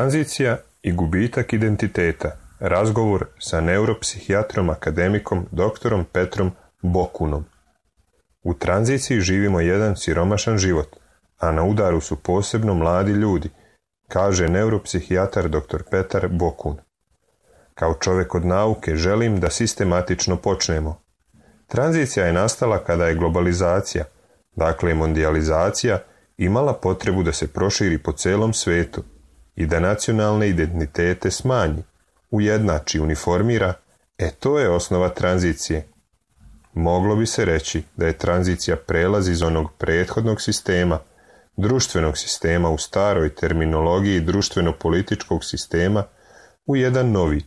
Tranzicija i gubitak identiteta. Razgovor sa neuropsihijatrom akademikom doktorom Petrom Bokunom. U tranziciji živimo jedan siromašan život, a na udaru su posebno mladi ljudi, kaže neuropsihijatar dr. Petar Bokun. Kao čovjek od nauke želim da sistematično počnemo. Tranzicija je nastala kada je globalizacija, dakle mondijalizacija, imala potrebu da se proširi po celom svetu i da nacionalne identitete smanji, ujednači, uniformira, to je osnova tranzicije. Moglo bi se reći da je tranzicija prelaz iz onog prethodnog sistema, društvenog sistema u staroj terminologiji društveno-političkog sistema, u jedan novi.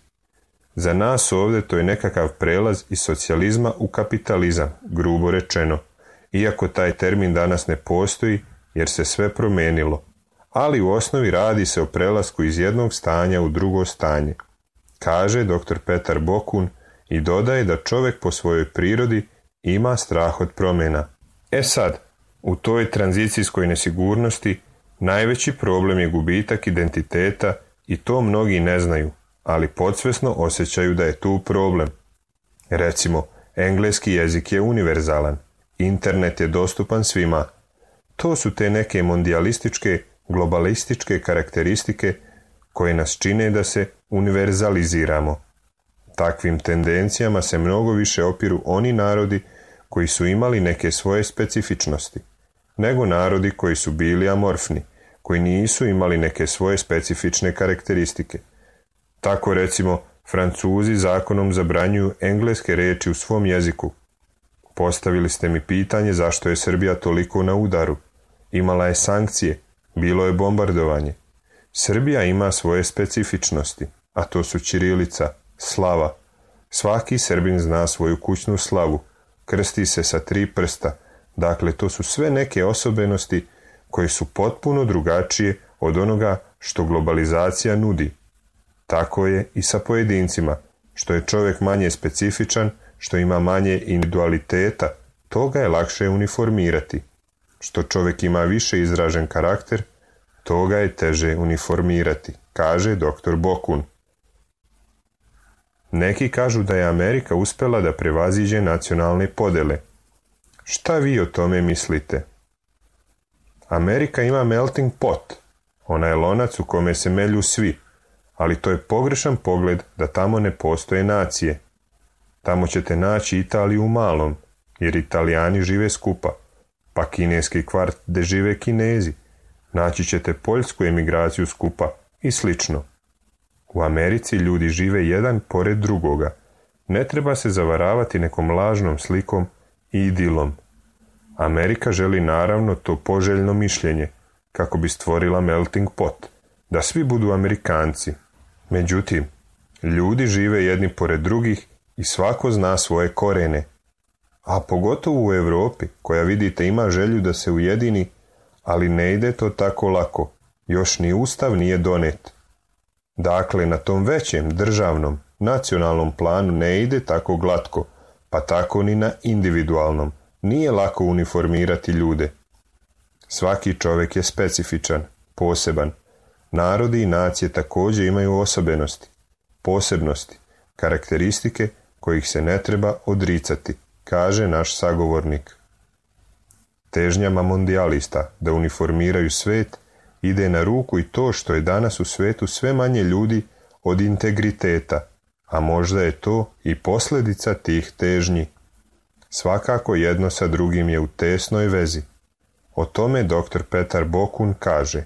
Za nas ovdje to je nekakav prelaz iz socijalizma u kapitalizam, grubo rečeno, iako taj termin danas ne postoji jer se sve promijenilo, ali u osnovi radi se o prelasku iz jednog stanja u drugo stanje, kaže dr. Petar Bokun i dodaje da čovjek po svojoj prirodi ima strah od promjena. Sad, u toj tranzicijskoj nesigurnosti najveći problem je gubitak identiteta i to mnogi ne znaju, ali podsvjesno osjećaju da je tu problem. Recimo, engleski jezik je univerzalan, internet je dostupan svima. To su te neke mondijalističke, globalističke karakteristike koje nas čine da se univerzaliziramo. Takvim tendencijama se mnogo više opiru oni narodi koji su imali neke svoje specifičnosti, nego narodi koji su bili amorfni, koji nisu imali neke svoje specifične karakteristike. Tako recimo, Francuzi zakonom zabranjuju engleske riječi u svom jeziku. Postavili ste mi pitanje zašto je Srbija toliko na udaru. Imala je sankcije, bilo je bombardovanje. Srbija ima svoje specifičnosti, a to su ćirilica, slava. Svaki Srbin zna svoju kućnu slavu, krsti se sa 3 prsta, dakle to su sve neke osobenosti koje su potpuno drugačije od onoga što globalizacija nudi. Tako je i sa pojedincima, što je čovjek manje specifičan, što ima manje individualiteta, toga je lakše uniformirati. Što čovjek ima više izražen karakter, toga je teže uniformirati, kaže dr. Bokun. Neki kažu da je Amerika uspjela da prevaziđe nacionalne podele. Šta vi o tome mislite? Amerika ima melting pot, ona je lonac u kome se melju svi, ali to je pogrešan pogled da tamo ne postoje nacije. Tamo ćete naći Italiju u malom, jer Italijani žive skupa, pa kineski kvart gde žive Kinezi. Naći ćete poljsku emigraciju skupa i slično. U Americi ljudi žive jedan pored drugoga. Ne treba se zavaravati nekom lažnom slikom i idilom. Amerika želi naravno to poželjno mišljenje, kako bi stvorila melting pot, da svi budu Amerikanci. Međutim, ljudi žive jedni pored drugih i svako zna svoje korene. A pogotovo u Europi, koja vidite ima želju da se ujedini, ali ne ide to tako lako, još ni ustav nije donet. Dakle, na tom većem državnom, nacionalnom planu ne ide tako glatko, pa tako ni na individualnom. Nije lako uniformirati ljude. Svaki čovjek je specifičan, poseban. Narodi i nacije također imaju osobenosti, posebnosti, karakteristike kojih se ne treba odricati, kaže naš sagovornik. Težnjama mondijalista da uniformiraju svet ide na ruku i to što je danas u svetu sve manje ljudi od integriteta, a možda je to i posljedica tih težnji. Svakako jedno sa drugim je u tesnoj vezi. O tome dr. Petar Bokun kaže: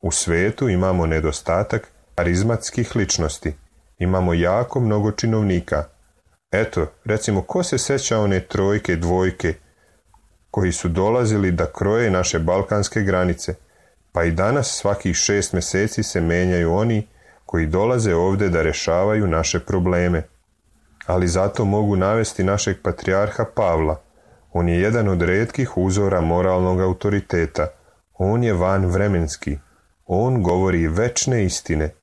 u svetu imamo nedostatak karizmatskih ličnosti, imamo jako mnogo činovnika. Recimo, ko se sjeća one 3, 2 koji su dolazili da kroje naše balkanske granice, pa i danas svakih 6 mjeseci se menjaju oni koji dolaze ovdje da rješavaju naše probleme. Ali zato mogu navesti našeg patrijarha Pavla. On je jedan od retkih uzora moralnog autoriteta. On je vanvremenski. On govori večne istine.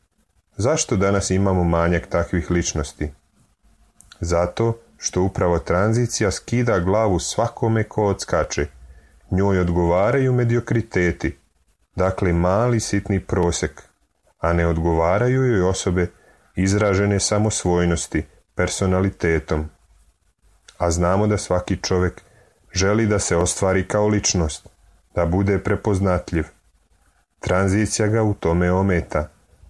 Zašto danas imamo manjak takvih ličnosti? Zato što upravo tranzicija skida glavu svakome ko odskače. Njoj odgovaraju mediokriteti, dakle mali sitni prosek, a ne odgovaraju joj osobe izražene samosvojnosti, personalitetom. A znamo da svaki čovjek želi da se ostvari kao ličnost, da bude prepoznatljiv. Tranzicija ga u tome ometa.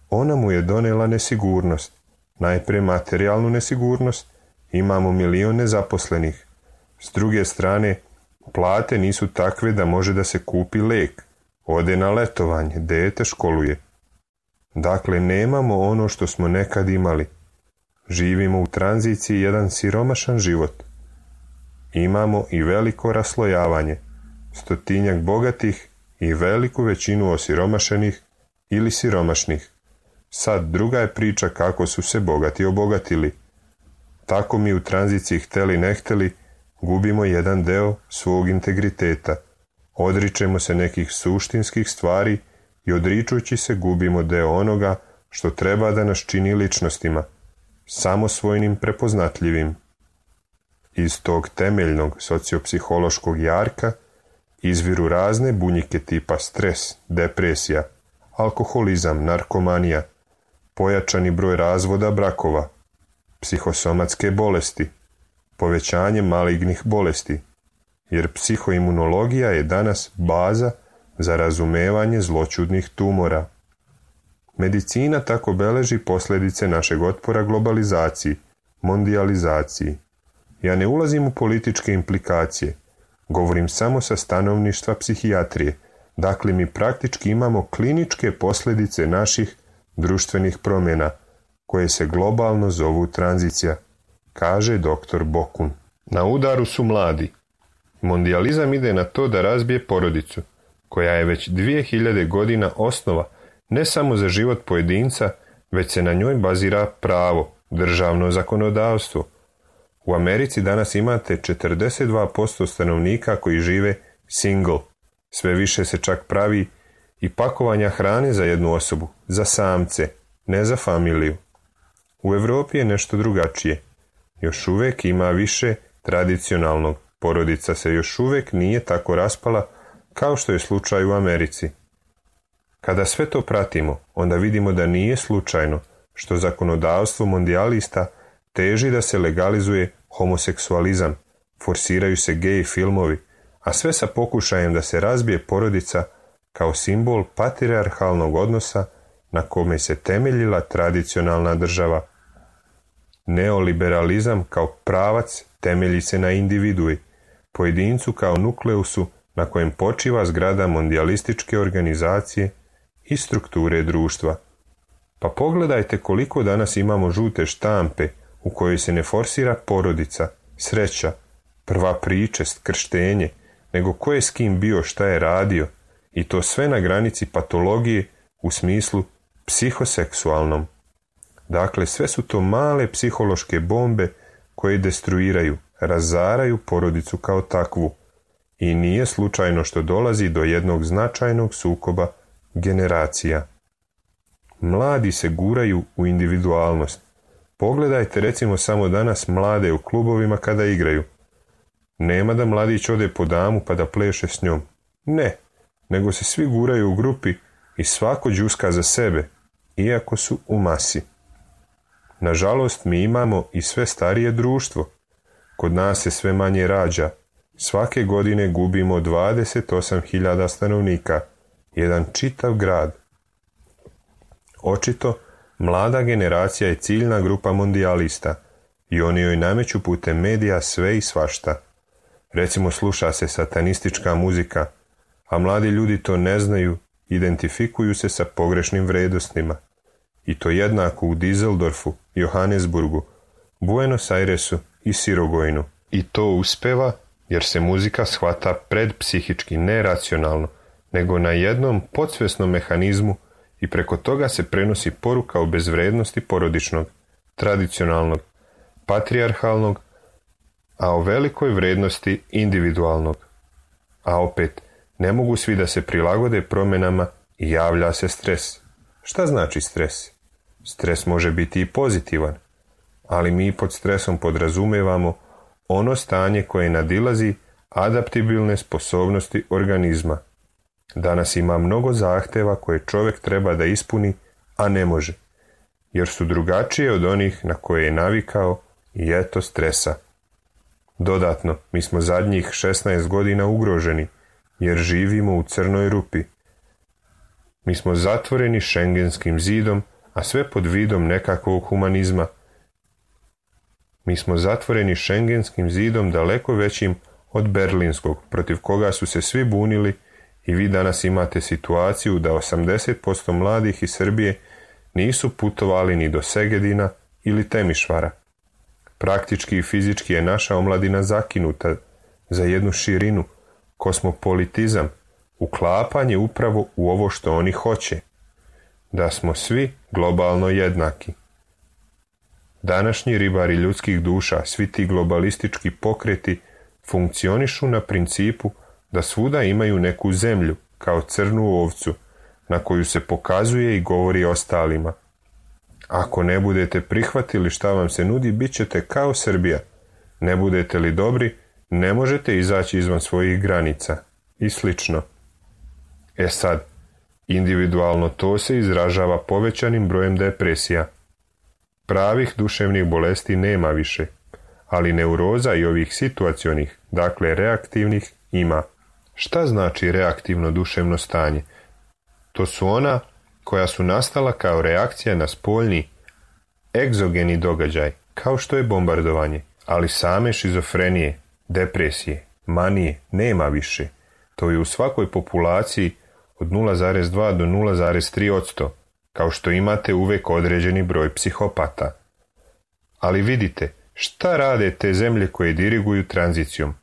Ona mu je donela nesigurnost, najprije materijalnu nesigurnost, imamo 1 milion nezaposlenih. S druge strane, plate nisu takve da može da se kupi lek, ode na letovanje, dete školuje. Dakle, nemamo ono što smo nekad imali. Živimo u tranziciji jedan siromašan život. Imamo i veliko raslojavanje, 100-tinjak bogatih i veliku većinu osiromašenih ili siromašnih. Sad druga je priča kako su se bogati obogatili. Tako mi u tranziciji hteli ne hteli gubimo jedan deo svog integriteta. Odričemo se nekih suštinskih stvari i odričujući se gubimo deo onoga što treba da nas čini ličnostima, samosvojnim, prepoznatljivim. Iz tog temeljnog sociopsihološkog jarka izviru razne bunjike tipa stres, depresija, alkoholizam, narkomanija, pojačani broj razvoda brakova, psihosomatske bolesti, povećanje malignih bolesti, jer psihoimunologija je danas baza za razumevanje zloćudnih tumora. Medicina tako beleži posljedice našeg otpora globalizaciji, mondijalizaciji. Ja ne ulazim u političke implikacije, govorim samo sa stanovišta psihijatrije, dakle mi praktički imamo kliničke posljedice naših društvenih promjena, koje se globalno zovu tranzicija, kaže dr. Bokun. Na udaru su mladi. Mondijalizam ide na to da razbije porodicu, koja je već 2000 godina osnova ne samo za život pojedinca, već se na njoj bazira pravo, državno zakonodavstvo. U Americi danas imate 42% stanovnika koji žive single. Sve više se čak pravi i pakovanja hrane za jednu osobu, za samce, ne za familiju. U Europi je nešto drugačije. Još uvijek ima više tradicionalnog. Porodica se još uvijek nije tako raspala kao što je slučaj u Americi. Kada sve to pratimo, onda vidimo da nije slučajno što zakonodavstvo mondijalista teži da se legalizuje homoseksualizam, forsiraju se gej filmovi, a sve sa pokušajem da se razbije porodica kao simbol patrijarhalnog odnosa na kome se temeljila tradicionalna država. Neoliberalizam kao pravac temelji se na individui, pojedincu kao nukleusu na kojem počiva zgrada mondijalističke organizacije i strukture društva. Pa pogledajte koliko danas imamo žute štampe u kojoj se ne forsira porodica, sreća, prva pričest, krštenje, nego ko je s kim bio, šta je radio, i to sve na granici patologije u smislu psihoseksualnom. Dakle, sve su to male psihološke bombe koje destruiraju, razaraju porodicu kao takvu. I nije slučajno što dolazi do jednog značajnog sukoba generacija. Mladi se guraju u individualnost. Pogledajte recimo samo danas mlade u klubovima kada igraju. Nema da mladić ode po damu pa da pleše s njom. Ne, nego se svi guraju u grupi i svako đuska za sebe, iako su u masi. Nažalost, mi imamo i sve starije društvo. Kod nas se sve manje rađa. Svake godine gubimo 28.000 stanovnika, jedan čitav grad. Očito, mlada generacija je ciljna grupa mondijalista i oni joj nameću putem medija sve i svašta. Recimo, sluša se satanistička muzika, a mladi ljudi to ne znaju, identifikuju se sa pogrešnim vrednostima. I to jednako u Dizeldorfu, Johannesburgu, Buenos Airesu i Sirogojnu. I to uspeva jer se muzika shvata predpsihički, ne racionalno, nego na jednom podsvjesnom mehanizmu i preko toga se prenosi poruka o bezvrednosti porodičnog, tradicionalnog, patrijarhalnog, a o velikoj vrednosti individualnog. A opet, ne mogu svi da se prilagode promjenama i javlja se stres. Šta znači stres? Stres može biti i pozitivan, ali mi pod stresom podrazumevamo ono stanje koje nadilazi adaptibilne sposobnosti organizma. Danas ima mnogo zahteva koje čovjek treba da ispuni, a ne može, jer su drugačije od onih na koje je navikao i eto stresa. Dodatno, mi smo zadnjih 16 godina ugroženi, jer živimo u crnoj rupi. Mi smo zatvoreni šengenskim zidom, a sve pod vidom nekakvog humanizma. Mi smo zatvoreni šengenskim zidom daleko većim od berlinskog, protiv koga su se svi bunili, i vi danas imate situaciju da 80% mladih iz Srbije nisu putovali ni do Segedina ili Temišvara. Praktički i fizički je naša omladina zakinuta za jednu širinu, kosmopolitizam, uklapanje upravo u ovo što oni hoće, da smo svi globalno jednaki. Današnji ribari ljudskih duša, svi ti globalistički pokreti, funkcionišu na principu da svuda imaju neku zemlju, kao crnu ovcu, na koju se pokazuje i govori ostalima. Ako ne budete prihvatili šta vam se nudi, bit ćete kao Srbija. Ne budete li dobri, ne možete izaći izvan svojih granica. I slično. Sad, individualno to se izražava povećanim brojem depresija. Pravih duševnih bolesti nema više, ali neuroza i ovih situacionih, dakle reaktivnih, ima. Šta znači reaktivno duševno stanje? To su ona koja su nastala kao reakcija na spoljni, egzogeni događaj, kao što je bombardovanje, ali same šizofrenije, depresije, manije nema više. To je u svakoj populaciji od 0,2 do 0,3%, kao što imate uvek određeni broj psihopata. Ali vidite, šta rade te zemlje koje diriguju tranzicijom?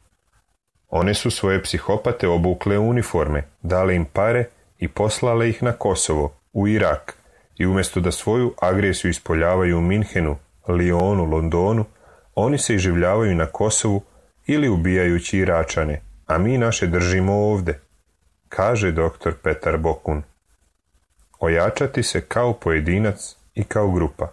One su svoje psihopate obukle u uniforme, dale im pare i poslale ih na Kosovo, u Irak, i umjesto da svoju agresiju ispoljavaju u Minhenu, Lionu, Londonu, oni se iživljavaju na Kosovu ili ubijajući Iračane, a mi naše držimo ovde, kaže dr. Petar Bokun. Ojačati se kao pojedinac i kao grupa.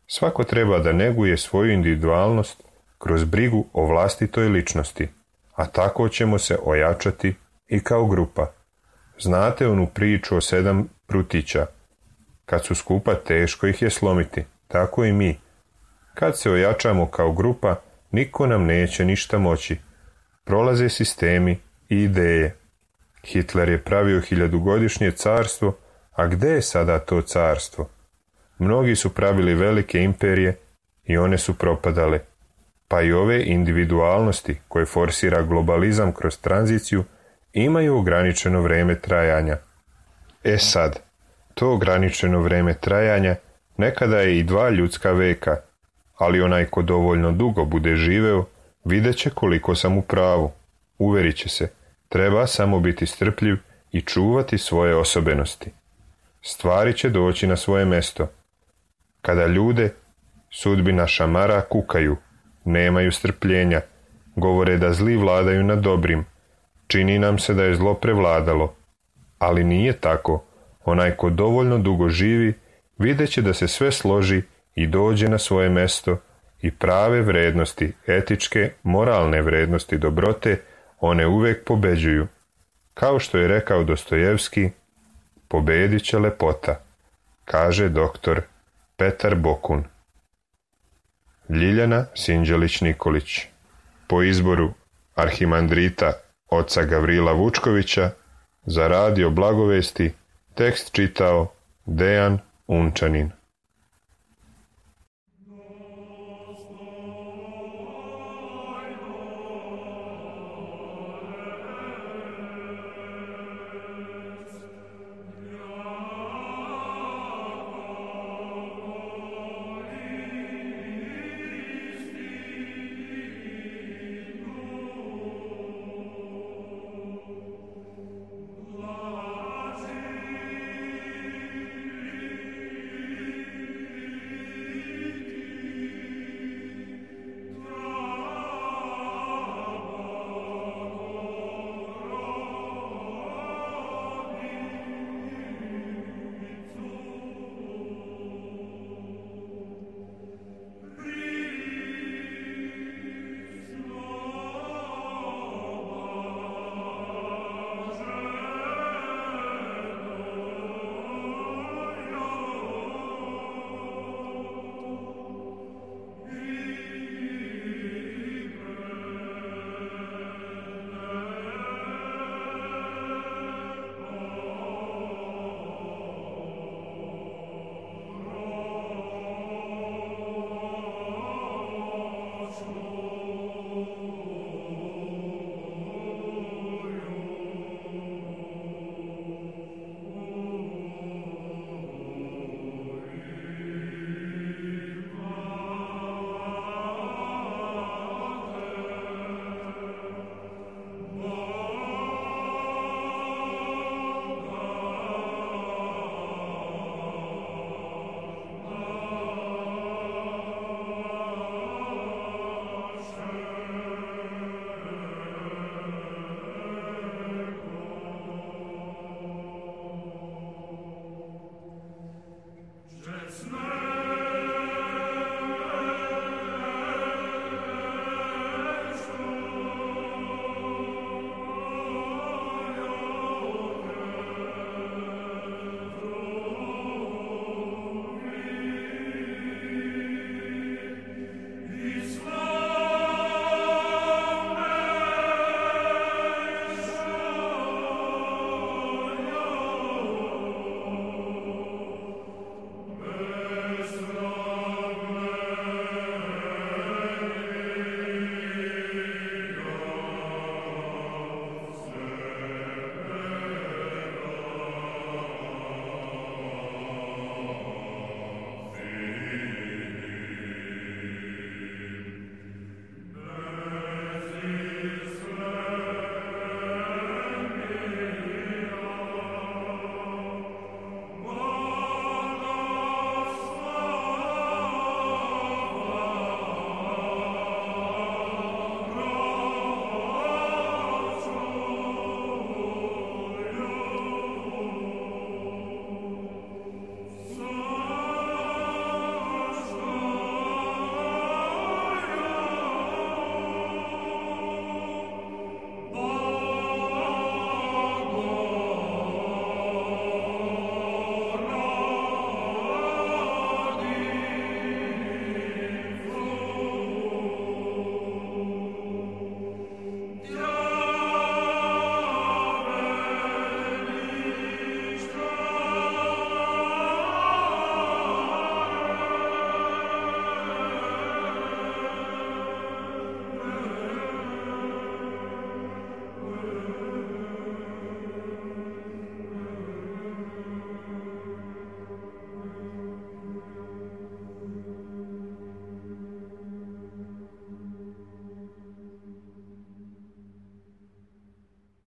Svako treba da neguje svoju individualnost kroz brigu o vlastitoj ličnosti, a tako ćemo se ojačati i kao grupa. Znate onu priču o 7 prutića? Kad su skupa, teško ih je slomiti, tako i mi. Kad se ojačamo kao grupa, niko nam neće ništa moći. Prolaze sistemi i ideje. Hitler je pravio 1000-godišnje carstvo, a gde je sada to carstvo? Mnogi su pravili velike imperije i one su propadale. Pa i ove individualnosti koje forsira globalizam kroz tranziciju imaju ograničeno vreme trajanja. Sad, to ograničeno vreme trajanja nekada je i 2 ljudska veka, ali onaj ko dovoljno dugo bude živeo, vidjet će koliko sam u pravu. Uverit će se, treba samo biti strpljiv i čuvati svoje osobenosti. Stvari će doći na svoje mesto. Kada ljude sudbina šamara kukaju, nemaju strpljenja, govore da zli vladaju nad dobrim, čini nam se da je zlo prevladalo, ali nije tako. Onaj ko dovoljno dugo živi, vidjet će da se sve složi i dođe na svoje mesto i prave vrednosti, etičke, moralne vrednosti dobrote, one uvek pobeđuju. Kao što je rekao Dostojevski, pobedit će lepota, kaže dr. Petar Bokun. Ljiljana Sinđelić-Nikolić. Po izboru arhimandrita oca Gavrila Vučkovića, za Radio Blagovesti tekst čitao Dejan Unčanin.